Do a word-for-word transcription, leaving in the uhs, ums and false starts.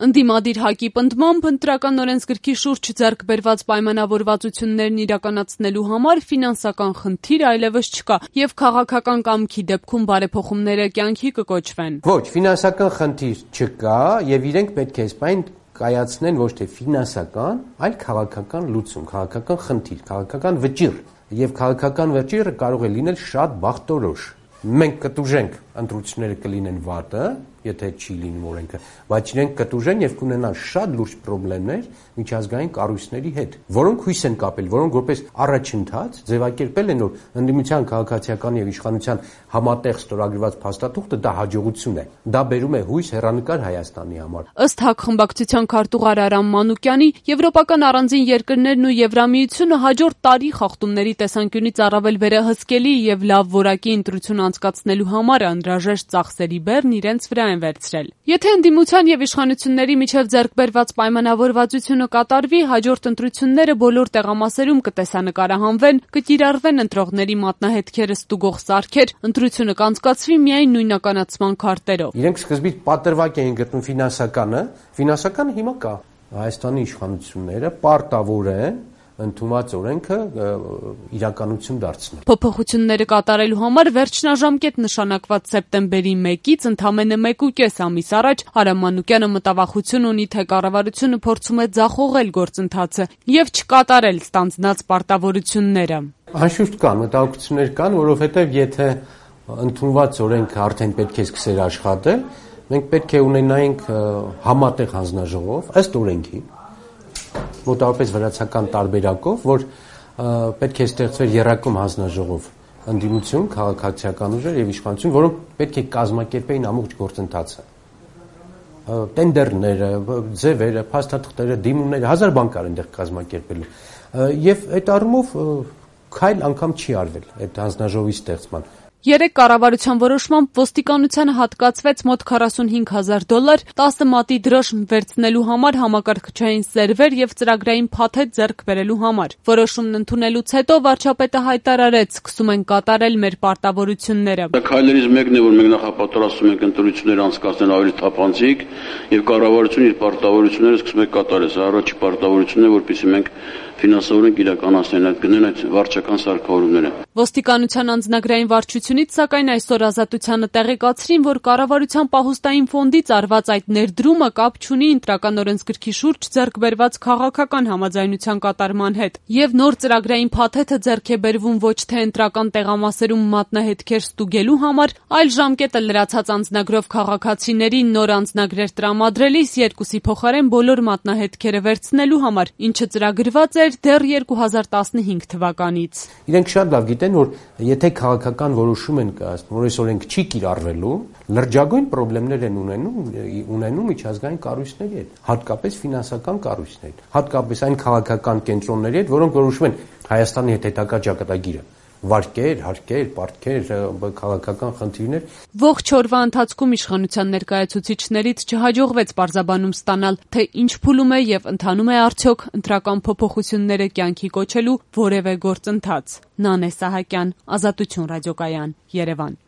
Ընդդիմադիր ՀԱԿ-ի պնդմամբ ընտրական օրենսգրքի շուրջ ձեռք բերված պայմանավորվածություններն իրականացնելու համար ֆինանսական խնդիր այլևս չկա եւ քաղաքական կամքի դեպքում բարեփոխումները կյանքի կկոչվեն։ Ոչ, ֆինանսական խնդիր չկա եւ իրենք պետք է սպայն կայացնեն ոչ թե ֆինանսական, այլ քաղաքական լուծում, քաղաքական խնդիր, քաղաքական վճիռ եւ քաղաքական վճիռը կարող է լինել շատ բախտորոշ։ Մենք կտուժենք ընտրությունները կլինեն վատը, եթե չի լինում օրենքը, բայց իրենք կտուժեն եւ կունենան շատ լուրջ խնդիրներ միջազգային կառույցների հետ, որոնք հույս են կապել, որոնք որպես առաջընթաց ձևակերպել են, որ ընդդիմության քաղաքացիական եւ իշխանության համատեղ ստորագրված փաստաթուղթը դա հաջողություն է, դա բերում է հույս հեռանկար Հայաստանի համար։ Ըստ ՀԱԿ խմբակցության քարտուղար Արամ Մանուկյանի, եվրոպական առանձին երկրներն ու Եվրամիությունը հաջորդ տարի խախտումների տեսանկյունից առավել վերահսկելի եւ լավ որակի ընտրություն անցկացնելու համար անհրաժեշտ ծախսերի բեռն իրենց վրա են վերցրել։ Եթե ընդդիմության եւ իշխանությունների միջև ձեռք բերված պայմանավորվածությունը կատարվի, հաջորդ ընտրությունները բոլոր տեղամասերում կտեսանկարահանվեն, կկիրառվեն ընտրողների մատնահետքերը ստուգող սարքեր, ընտրությունը կանցկացվի միայն նույնականացման քարտերով։ Իրենք սկզբից պատրվակ էին գտնում ֆինանսականը, ֆինանսականը հիմա կա։ Հայաստանի իշխանությունները պարտավոր են ընդունված օրենքը իրականություն դարձնել։ Փոփոխությունները կատարելու համար վերջնաժամկետ նշանակված սեպտեմբերի մեկից ընդամենը մեկուկես ամիս առաջ Արամ Մանուկյանը մտավախություն ունի, թե կառավարությունը փորձում է ձախողել գործընթացը եւ չկատարել ստանձնած պարտավորությունները։ Անշուշտ կան մտահոգություններ կան, որովհետեւ եթե ընդունված օրենքը արդեն պետք է սկսեր աշխատել, մենք պետք է ունենայինք համատեղ հանձնաժողով ըստ օրենքի մոտավորապես վրացական տարբերակով, որ պետք է ստեղծվեր եռակում հանձնաժողով ընդդիմություն, քաղաքացիական ուժեր եւ իշխանություն, որոնք պետք է կազմակերպեին ամբողջ գործընթացը։ Տենդերները, ձևերը, փաստաթղթերը, դիմումները, հազար բան կար այնտեղ կազմակերպելու։ Եվ այդ առումով քայլ անգամ չի արվել այդ հանձնաժողովի ստեղծման։ Երեք կառավարության որոշմամբ ոստիկանությանը հատկացվեց մոտ քառասունհինգ հազար դոլար տասը մատի դրոշմ վերցնելու համար համակարգչային սերվեր եւ ծրագրային փաթեթ ձեռք բերելու համար։ Որոշումն ընդունելուց հետո վարչապետը հայտարարեց, սկսում են կատարել մեր պարտավորությունները։ Դա քայլերից մեկն է, որ մենք նախապատրաստում ենք ընտրություններ անցկացնել ավելի թափանցիկ եւ կառավարությունը իր պարտավորությունները սկսում է կատարել։ Սա առաջի պարտավորությունն է, որպեսզի մենք ֆինանսավորենք իրականացնեն այդ գնեն այդ վարչական սարքավորումները։ Ոստիկանության անձնագրային վարչությունից սակայն այսօր Ազատությանը տեղեկացրին, որ կառավարության պահուստային ֆոնդից արված այդ ներդրումը կապ չունի ընտրական օրենսգրքի շուրջ ձեռք բերված քաղաքական համաձայնության կատարման հետ, եւ նոր ծրագրային փաթեթը ձեռք է բերվում ոչ թե ընտրական տեղամասերում մատնահետքեր ստուգելու համար, այլ ժամկետը լրացած անձնագրով քաղաքացիներին նոր անձնագրեր տրամադրելիս երկուսի փոխարեն բոլոր մատնահետքերը վերցնելու համար, ինչը ծրագրված էր դեռ երկու հազար տասնհինգ թվականից։ Իրենք շատ լավ գիտեն, որ եթե քաղաքական որոշում են կայացնում, որ այս օրենք չի կիրառվելու, լրջագույն խնդիրներ են ունենում, ունենում միջազգային կառույցների հետ, հատկապես ֆինանսական կառույցների հետ, հատկապես այն քաղաքական կենտրոնների հետ, որոնք որոշում են Հայաստանի հետ հետագա ճակատագիրը։ Վարկեր, հարկեր, պարտքեր, քաղաքական խնդիրներ։ Ողջ օրվա ընթացքում իշխանության ներկայացուցիչներից չհաջողվեց պարզաբանում ստանալ, թե ինչ փուլում է եւ ընթանում է արդյոք ընտրական փոփոխությունները կյանքի կոչելու որևէ գործընթաց։ Նանե Սահակյան, Ազատություն ռադիոկայան, Երևան։